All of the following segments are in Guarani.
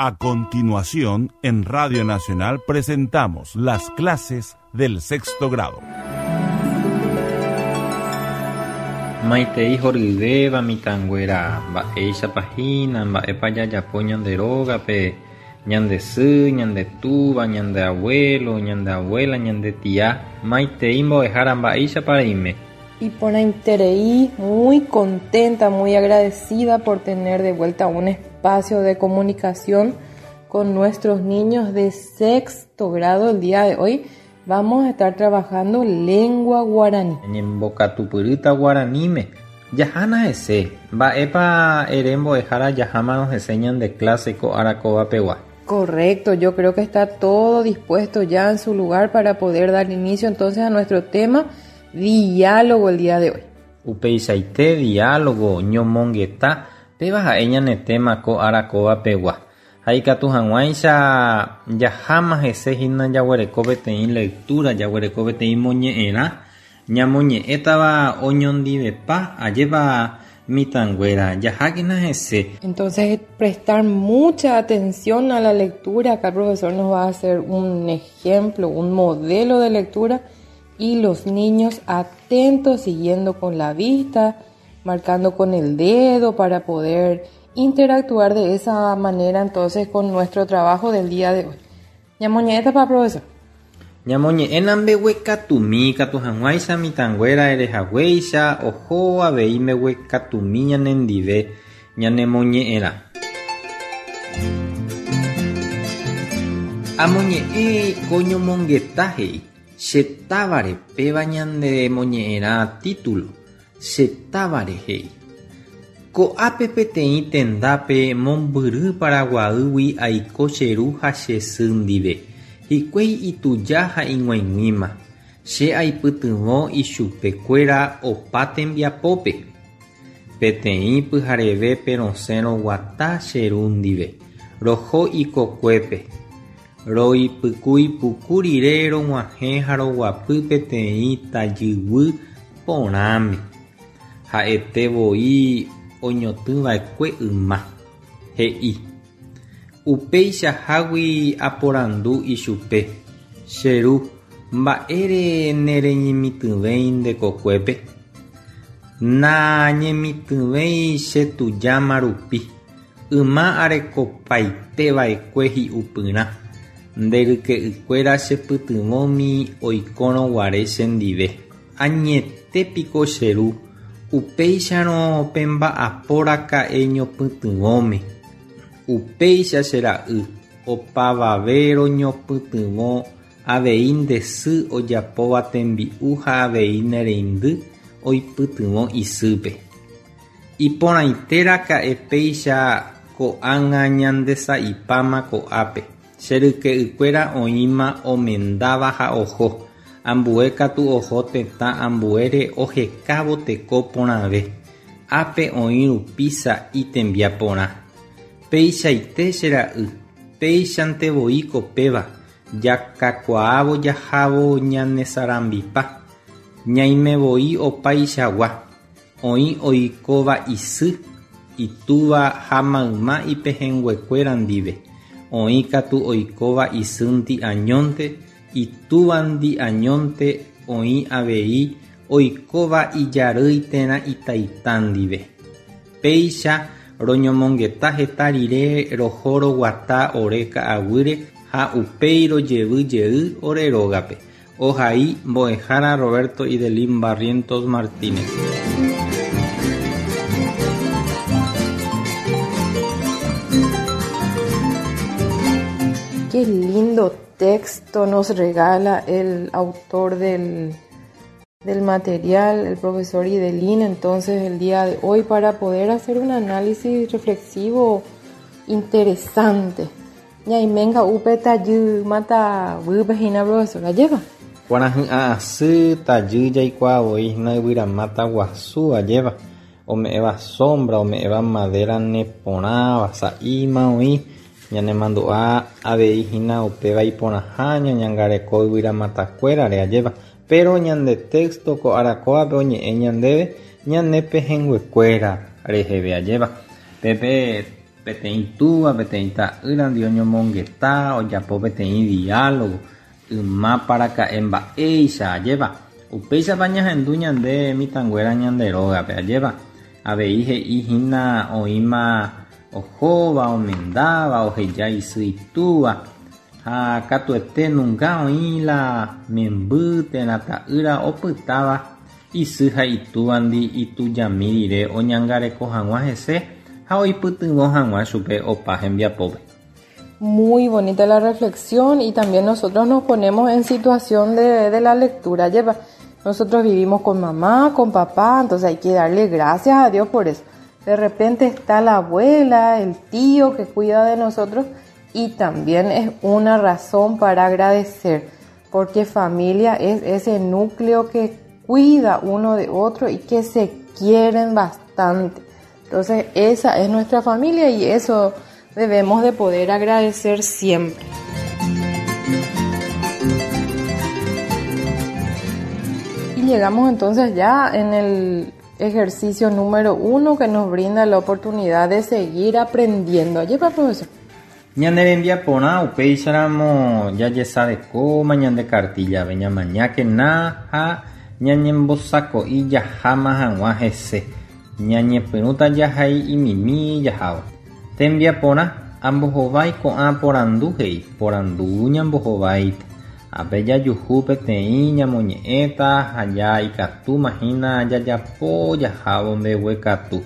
A continuación, en Radio Nacional presentamos las clases del sexto grado. Maitei horyvéva mitãnguéra, mba'éichapa hína, mba'épa jajapo ñande rógape, ñande sy, ñande túva, ñande abuelo, ñande abuela, ñande tia. Maitei mbo'ehára mba'éichapa reime. Iporãiterei, muy contenta, muy agradecida por tener de vuelta un espacio de comunicación con nuestros niños de sexto grado el día de hoy. Vamos a estar trabajando lengua guaraní. Ñembokatupyrýta guaraníme. Jahána hese, mba'épa ere mbo'ehára jahámarõ hese ñande clase ko ára kóva pegua. Correcto, yo creo que está todo dispuesto ya en su lugar para poder dar inicio entonces a nuestro tema diálogo el día de hoy. Upeichaite diálogo, ñomongeta, péva ha'e ñane tema ko ára kóva pegua. Ha ikatu hag̃uáicha jaháma hese hína jaguereko peteĩ lectura, jaguereko peteĩ moñe'ẽrã, ñamoñe'ẽtava oñondivepa, ajépa mitãnguéra, jahákena hese. Entonces, prestar mucha atención a la lectura. Acá el profesor nos va a hacer un ejemplo, un modelo de lectura y los niños atentos, siguiendo con la vista, marcando con el dedo para poder interactuar de esa manera entonces con nuestro trabajo del día de hoy. Ñamoñe'ẽtapa, profesor. Ñamoñe'ẽna mbeguekatumi ikatu hag̃uáicha mitãnguéra erehaguéicha oho avei mbeguekatumi ñanendive ñanemoñe'ẽrã. Amoñe'ẽ ko ñomongeta he'i, Che távare péva ñande moñe'ẽrã título, Che távare he'i. Ko'ápe peteĩ tendápe mombyry Paraguaýgui aiko che ru ha che sy ndive. Hikuái ituja ha ig̃uaig̃uíma. Che aipytyvõ ichupekuéra opa tembiapópe. Peteĩ pyharevépe rosẽ roguata che ru ndive. Roho ikokuépe. Roipykúi puku rire rog̃uahẽ ha roguapy peteĩ tajyguy porãme. Ha'ete voi oñotỹva'ekue yma. He'i. Upeichahágui aporandu ichupe, Che ru, mba'ére nereñemitỹvéi nde kokuépe? Nañemitỹvéi che tujáma rupi. Yma arekopaite va'ekue hi'upyrã, nde ryke'ykuéra chepytyvõmi oikórõ guare chendive. Añete piko che ru, upéicharõ pemba'apo raka'e ñopytyvõme. Upéicha che ra'y, opavave roñopytyvõ avei nde sy ojapóva tembi'u ha avei ne reindy oipytyvõ isýpe. Iporãite raka'e péicha ko'ág̃a ñandesa'ipáma ko'ápe. Che ryke'ykuéra oĩma omendáva ha oho, ambue katu oho tetã ambuére ohekávo teko porãve. Ápe oĩ rupi sa'i tembiaporã. Peichaite che ra'y, péichante voi ko péva, jakakuaávo jahávo ñanesarambipa. Ñaime voi opaichagua. Oĩ oikóva isy, itúva ha mayma ipehẽnguekuéra ndive, oĩ katu oikóva isýndi añónte, itúvandi añónte, oĩ avei oikóva ijarýi térã itaita ndive. Péicha roñomongeta heta rire roho roguata ore ka'aguýre ha upéi rojevy jey ore rógape. Ohai mbo'ehára Roberto Idelín Barrientos Martínez. Qué lindo texto nos regala el autor del, del material, el profesor Idelín, entonces el día de hoy para poder hacer un análisis reflexivo interesante. Ñaiménga upe tajy máta guýpe hína profesor, ajépa? Kuarahy'ã asy tajy jaikuaa voi hína yvyramáta guasu, ajépa? Ome'ẽva sombra, ome'ẽva madera neporãva, sa'íma oĩ, ñanemandu'a avei hína upéva iporãha ñañangareko yvyramatakuérare, ajépa? Péro ñande texto ko ára kóvape oñe'ẽ ñandéve ñane pehẽnguekuéra reheve, ajépa? Pépe. Peteĩ túva, peteĩ ta'ýrandi oñomongeta, ojapo peteĩ diálogo, ymápa raka'e mba'éicha, ajépa? Upéichapa ñahendu ñande mitãnguéra ñande rógape, ajépa? Avei he'i hína oĩma ohóva, omendáva, oheja isy itúva, ha katuete nunga oĩ la memby térã ta'ýra opytáva isy ha itúvandi itujami rire oñangareko hag̃ua hese ha oipytyvõ hag̃ua chupe opa hembiapópe. Muy bonita la reflexión y también nosotros nos ponemos en situación de, de la lectura. Lleva, nosotros vivimos con mamá, con papá, entonces hay que darle gracias a Dios por eso. De repente está la abuela, el tío que cuida de nosotros y también es una razón para agradecer, porque familia es ese núcleo que cuida uno de otro y que se quieren bastante. Entonces esa es nuestra familia y eso debemos de poder agradecer siempre. Y llegamos entonces ya en el ejercicio número uno que nos brinda la oportunidad de seguir aprendiendo. Lleva, profesor. Ñane rembiaporã upéicharamo jajesarekóma ñande kartíllape, ñamañákena ha ñañembosako'i jaháma hag̃ua hese. Ñañepyrũta jahai'imimi jahávo. Tembiaporã, ambohovái ko'ã porandu he'i, porandu ñambohováita. Ápe jajuhu peteĩ ñamoñe'ẽta ha ja ikatúma hína jajapo jahávo mbeguekatu.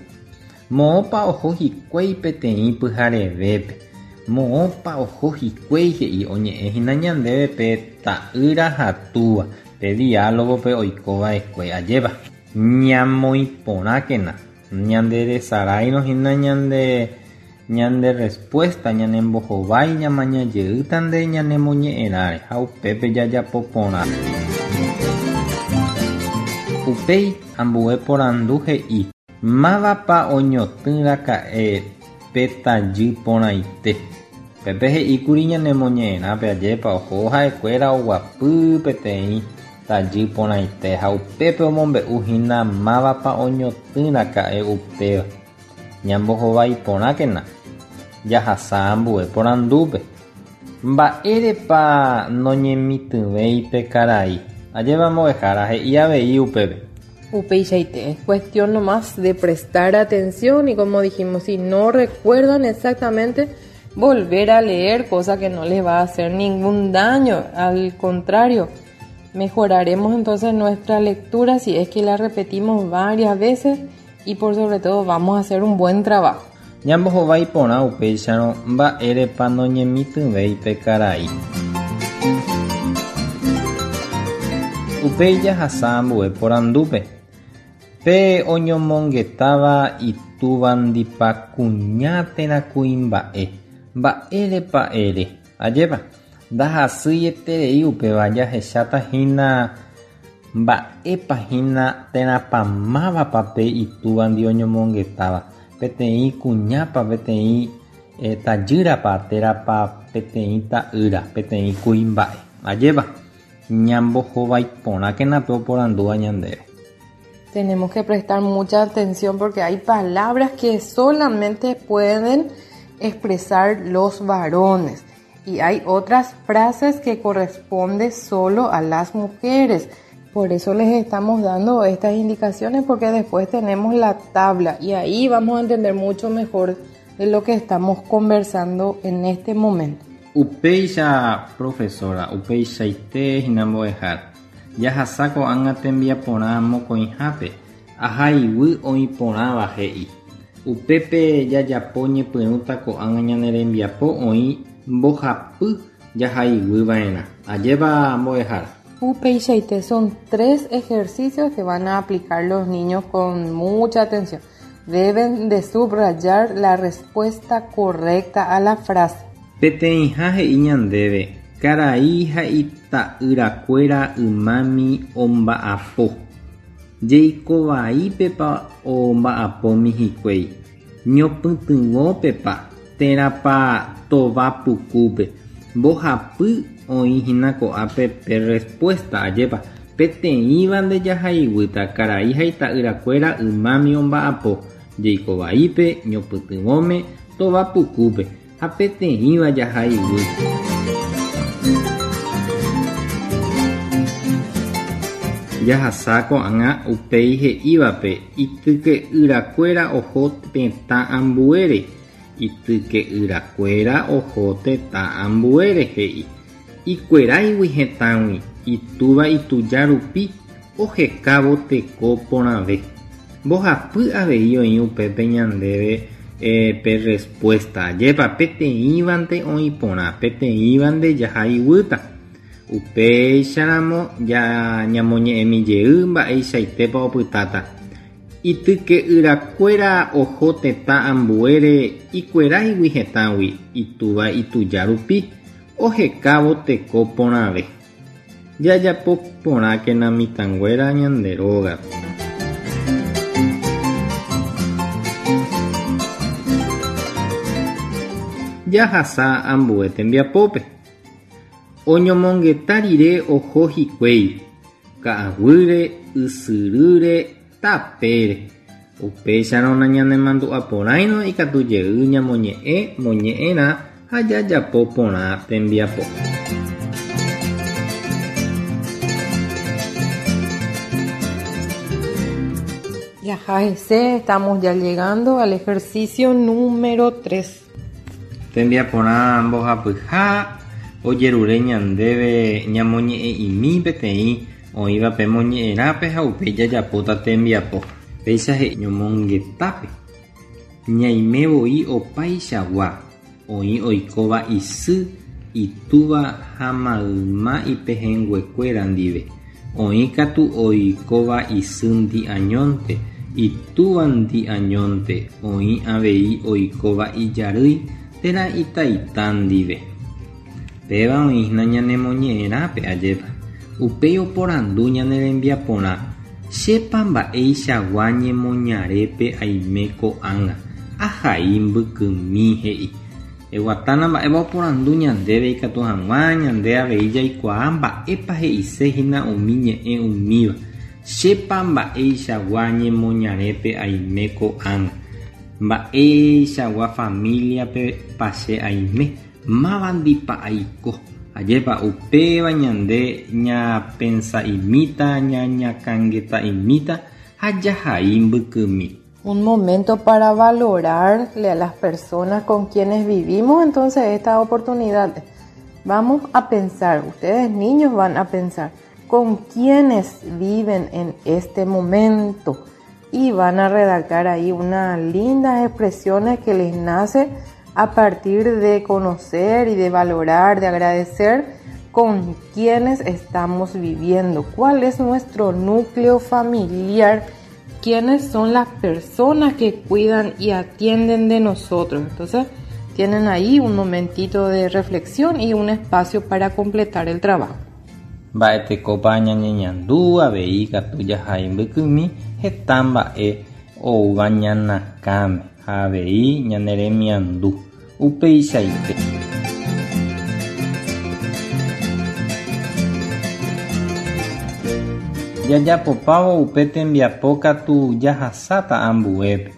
Moõpa oho hikuái peteĩ pyharevépe. Moõpa oho hikuái he'i oñe'ẽ hína ñandéve pe ta'ýra ha túva, pe diálogo-pe oikova'ekue ajépa. Ñamoĩporãkena, ñanderesaráirõ hína ñande ñande respuesta ñanembohovái ñamañajeýtante ñanemoñe'ẽrãre ha upépe jajapo porã. Upéi ambue porandu he'i. Mávapa oñotỹ raka'e pe tajy porãite? Pépe he'íkuri ñanemoñe'ẽrãpe ajépa oho ha'ekuéra oguapy peteĩ tajy porãite ha upépe omombe'u hína mávapa oñotỹ raka'e upéva. Ñambohovái porãkena, jahasa ambue porandúpe. Mba'érepa noñemitỹvéi pe karai? Ajépa mbo'ehára he'i avei upépe. Upeichaite, es cuestión nomás de prestar atención y como dijimos, si no recuerdan exactamente, volver a leer, cosa que no les va a hacer ningún daño, al contrario, mejoraremos entonces nuestra lectura si es que la repetimos varias veces y por sobre todo vamos a hacer un buen trabajo. Ñambohovái porã upéicharõ mba'érepa noñemitỹvéi pe karai. Upéi jahasa ambue porandúpe. Pe oñomongetáva itúvandipa kuña térã kuimba'e, mba'érepa ere? Ajépa, ndahasyieterei upéva jahecháta hína mba'épa hína térãpa mávapa pe itúvandi oñomongetáva, peteĩ kuñápa, peteĩ tajýrapa térãpa peteĩ ta'ýra, peteĩ kuimba'e. Ajépa, ñambohovái porãkena pe oporandúva ñandéve. Tenemos que prestar mucha atención porque hay palabras que solamente pueden expresar los varones y hay otras frases que corresponden solo a las mujeres. Por eso les estamos dando estas indicaciones porque después tenemos la tabla y ahí vamos a entender mucho mejor de lo que estamos conversando en este momento. Upéicha profesora, upeichaite hína mbo'ehára. Jahasa ko'ág̃a tembiaporã mokõihápe, ahaiguy oĩ porãva he'i. Upépe jajapo ñepyrũta ko'ág̃a ñane rembiapo oĩ mbohapy jahaiguyva'erã. Ajépa mbo'ehára. Upeichaite son tres ejercicios que van a aplicar los niños con mucha atención. Deben de subrayar la respuesta correcta a la frase. Peteĩha he'i ñandéve, karai ha ita'yrakuéra ymámi omba'apo. Jeikovaípepa omba'apómi hikuái. Ñopytyvõpepa térãpa tova pukúpe. Mbohapy oĩ hína ko'ápe pe respuesta, ajépa. Peteĩva ndejahaiguýta karai ha ita'yrakuéra ymámi omba'apo. Jeikovaípe, ñopytyvõme, Tova pukúpe ha peteĩva jahaiguy. Jahasa ko'ág̃a upéi he'ívape ityke'yrakuéra oho tetã ambuére. Ityke'yrakuéra oho tetã ambuére he'i. Ikueráigui hetãgui itúva ituja rupi ohekávo teko porãve. Mbohapy avei oĩ upépe ñandéve pe respuesta. Ajépa peteĩvante oĩ porã, peteĩvante jahaiguýta. Upéicharamo ñamoñe'ẽmi jey mba'eichaitépa opytáta. Ityke'yrakuéra oho tetã ambuére ikueráigui hetãgui itúva ituja rupi ohekávo teko porãve. Jajapo porãkena mitãnguéra ñande rógape. Jahasa ambue tembiapópe. Oñomongeta rire oho hikuái, ka'aguýre, ysyrýre, tapére. Upéicharõ nañanemandu'aporãirõ ikatu jey ñamoñe'ẽ moñe'ẽrã ha jajapo porã tembiapo. Jaha hese, estamos ya llegando al ejercicio número 3. Tembiaporã mbohapyha ojerure ñandéve ñamoñe'ẽ'imi peteĩ oĩva pe moñe'ẽrãpe ha upéi jajapóta tembiapo. Péicha he'i ñomongetápe. Ñaime voi opaichagua, oĩ oikóva isy, itúva ha mayma ipehẽnguekuéra ndive. Oĩ katu oikóva isýndi añónte, itúvandi añónte, oĩ avei oikóva ijarýi térã itaita ndive. Péva oĩhína ñane moñe'ẽrãpe, ajépa. Upéi oporandu ñane rembiaporã, Chépa mba'eichagua ñemoñarépe aime ko'ág̃a? Ahai mbykymi, he'i. Eguatána mba'épa oporandu ñandéve ikatu hag̃ua ñande avei jaikuaa mba'épa he'ise hína umi ñe'ẽ umíva. Chépa mba'eichagua ñemoñarépe aime ko'ág̃a? Mba'eichagua familia-pepa che aime? Mávandipa aiko? Ajépa upéva ñande ñapensa'imíta, ñañakãngeta'imíta ha jahai mbykymi. Un momento para valorarle a las personas con quienes vivimos entonces esta oportunidad. Vamos a pensar, ustedes niños van a pensar, con quiénes viven en este momento y van a redactar ahí unas lindas expresiones que les nace a partir de conocer y de valorar, de agradecer con quienes estamos viviendo, cuál es nuestro núcleo familiar, quiénes son las personas que cuidan y atienden de nosotros. Entonces, tienen ahí un momentito de reflexión y un espacio para completar el trabajo. Mba'etekópa ñañeñandu avei ikatu jahai mbykymi heta mba'e oúva ñanakãme ha avei ñane remiandu. Upeichaite. Jajapopávo upe tembiapo katu jahasáta ambuépe.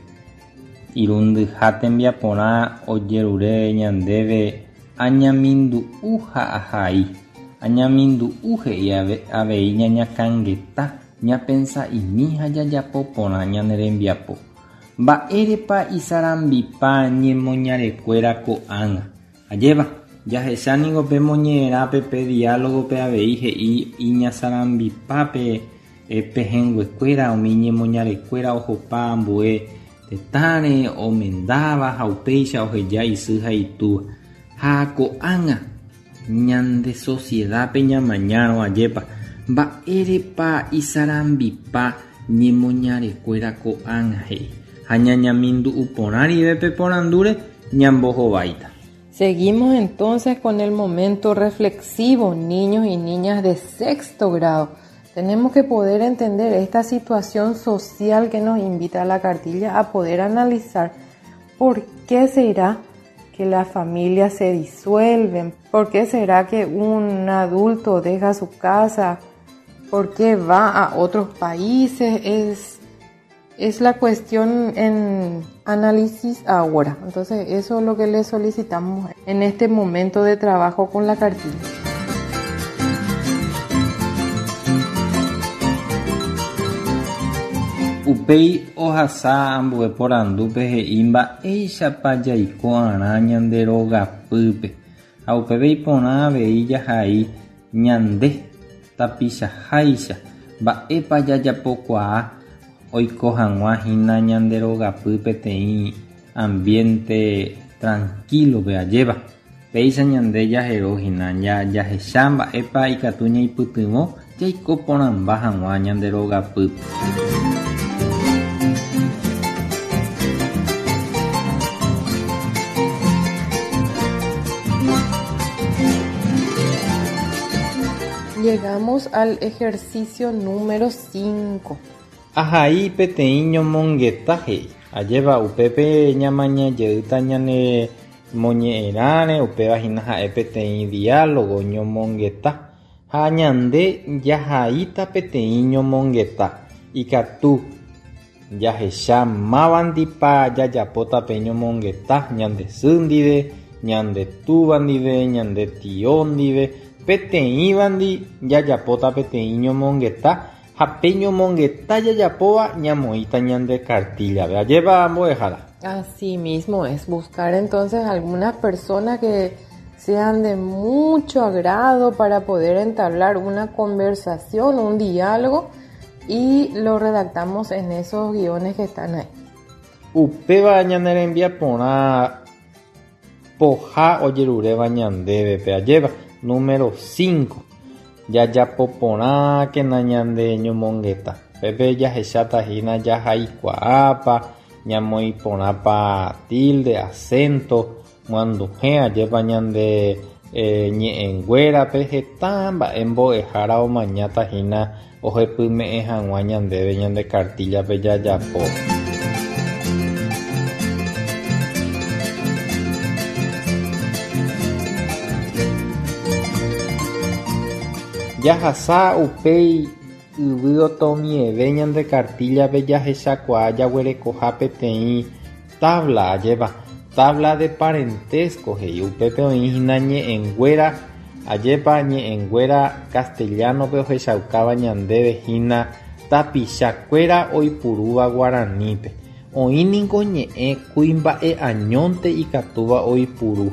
Irundyha tembiaporã ojerure ñandéve añamindu'u ha ahai. Añamindu'u he'i avei ñañakãngeta, ñapensa'imi ha jajapo porã ñane rembiapo. Mba'érepa isarambipa ñemoñarekuéra ko'ág̃a? Ajépa, jahecha ningo pe moñe'ẽrãpe pe diálogo-pe avei he'i iñasarambipápe pehẽnguekuéra umi ñemoñarekuéra ohopa ambue tetãre omendáva ha upéicha oheja isy ha itúva. Ha ko'ág̃a ñande sociedad-pe ñamañárõ ajépa, mba'érepa isarambipa ñemoñarekuéra ko'ág̃a he'i ha ñañamindu'u porã rive pe porandúre ñambohováita. Seguimos entonces con el momento reflexivo, niños y niñas de sexto grado. Tenemos que poder entender esta situación social que nos invita a la cartilla a poder analizar por qué será que las familias se disuelven, por qué será que un adulto deja su casa, por qué va a otros países. Es Es la cuestión en análisis ahora. Entonces, eso es lo que le solicitamos en este momento de trabajo con la cartilla. Upéi ohasa ambue porandúpe he'i mba'éichapa jaiko arã ñande rogapýpe ha upépe iporã avei jahai ñande tapichaháicha mba'épa jajapokuaa oiko hag̃ua hína ñande rogapy peteĩ ambiente tranquilo-pe ajépa. Péicha ñande jahero hína jahecha mba'épa ikatu ñaipytyvõ jaiko porãmba hag̃ua ñande rogapýpe. Llegamos al ejercicio número 5. Ahai peteĩ ñomongeta he'i. Ajépa upépe ñamaña jeýta ñane moñe'ẽrãre, upéva hína ha'e peteĩ diálogo ñomongeta ha ñande jahaíta peteĩ ñomongeta. Ikatu jahecha mávandipa jajapóta pe ñomongeta ñande sy ndive, ñande túva ndive, ñande tio ndive, peteĩvandi jajapóta peteĩ ñomongeta ha pe ñomongeta jajapóva ñamoĩta ñande cartilla-pe. Ajépa mbo'ehára. Así mismo es buscar entonces algunas personas que sean de mucho agrado para poder entablar una conversación, un diálogo, y lo redactamos en esos guiones que están ahí. Upéva ñane rembiaporã poha ojeruréva ñandévepe. Ajépa número 5. Jajapoporãkena ñande ñomongeta. Pépe jahecháta hína jahaikuaápa, ñamoĩporãpa tilde, acento, myanduhẽ ajépa ñande ñe'ẽnguérape heta mba'e mbo'ehára omañáta hína ohepyme'ẽ hag̃ua ñandéve ñande cartilla-pe jajapo. Jahasa upéi yvy otomieve ñande cartilla-pe jahechakuaa jaguerekoha peteĩ tabla ajépa, tabla de parentesco he'i upépe oĩ hína ñe'ẽnguéra ajépa ñe'ẽnguéra castellano-pe ohechaukáva ñandéve hína tapichakuéra oipurúva guaranípe. Oĩ niko ñe'ẽ kuimba'e añónte ikatúva oipuru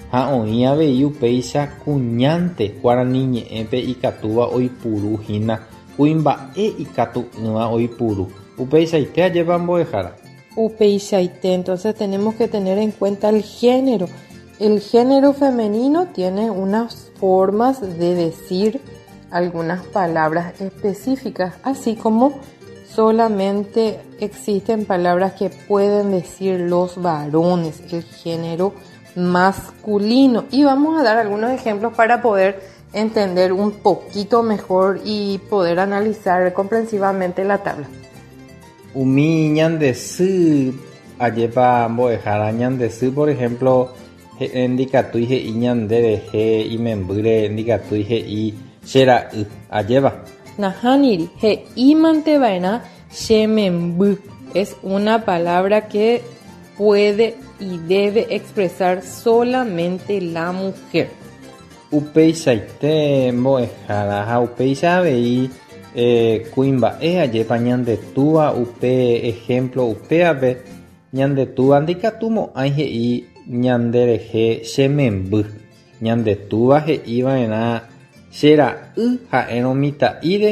ha oĩ avei upéicha kuñánte guarani ñe'ẽpe ikatúva oipuru hína kuimba'e ikatu'ỹva oipuru. Upeichaite ajépa mbo'ehára. Upeichaite, entonces tenemos que tener en cuenta el género. El género femenino tiene unas formas de decir algunas palabras específicas, así como solamente existen palabras que pueden decir los varones, el género masculino. Y vamos a dar algunos ejemplos para poder entender un poquito mejor y poder analizar comprensivamente la tabla. Umi ñande sy ajépa mbo'ehára ñande sy, por ejemplo, ndikatúi he'i ñande rehe imembýre ndikatúi he'i che ra'y ajépa. Nahániri, he'ímanteva'erã che memby. Es una palabra que puede y debe expresar solamente la mujer. Upeichaite mbo'ehára ha upéicha avei kuimba'e ajépa ñande túva upe ejemplo upévape ñande túva ndikatumo'ãi he'i ñande rehe che memby. Ñande túva he'iva'erã che ra'y ha'érõ mitã'íre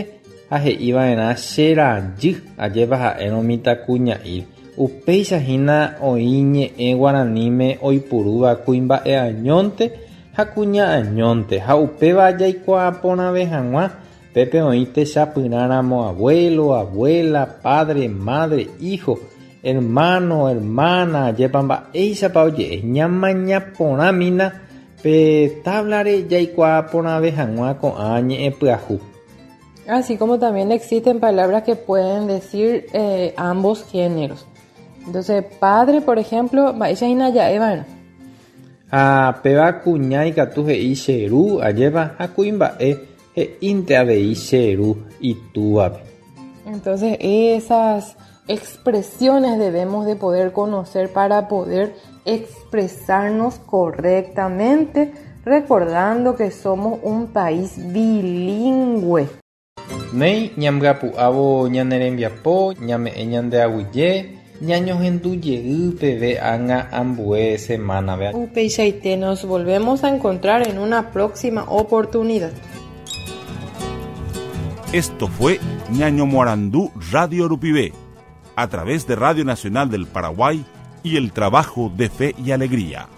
ha he'iva'erã che rajy ajépa ha'érõ mitãkuña'íre. Upéicha hína oĩ ñe'ẽ guaraníme oipurúva kuimba'e añónte ha kuña añónte ha upéva jaikuaa porãve hag̃ua pépe oĩ techapyrãramo abuelo, abuela, padre, madre, hijo, hermano, hermana, ajépa mba'éichapa oje'e ñamaña porãmína pe tabla-re jaikuaa porãve hag̃ua ko'ã ñe'ẽ pyahu. Así como también existen palabras que pueden decir ambos géneros. Entonces, padre, por ejemplo, mba'éicha hína ja'eva'erã. Ha péva kuña ikatu he'i che ru ajépa ha kuimba'e he'ínte avei che ru itúvape. Entonces, esas expresiones debemos de poder conocer para poder expresarnos correctamente, recordando que somos un país bilingüe. Néi, ñambyapu'ávo ñane rembiapo, ñame'ẽ ñande aguyje, ñañohendu jey peve ág̃a ambue semana-pe. Upeichaite, nos volvemos a encontrar en una próxima oportunidad. Esto fue Ñañomoarandu Radio Rupive, a través de Radio Nacional del Paraguay y el trabajo de Fe y Alegría.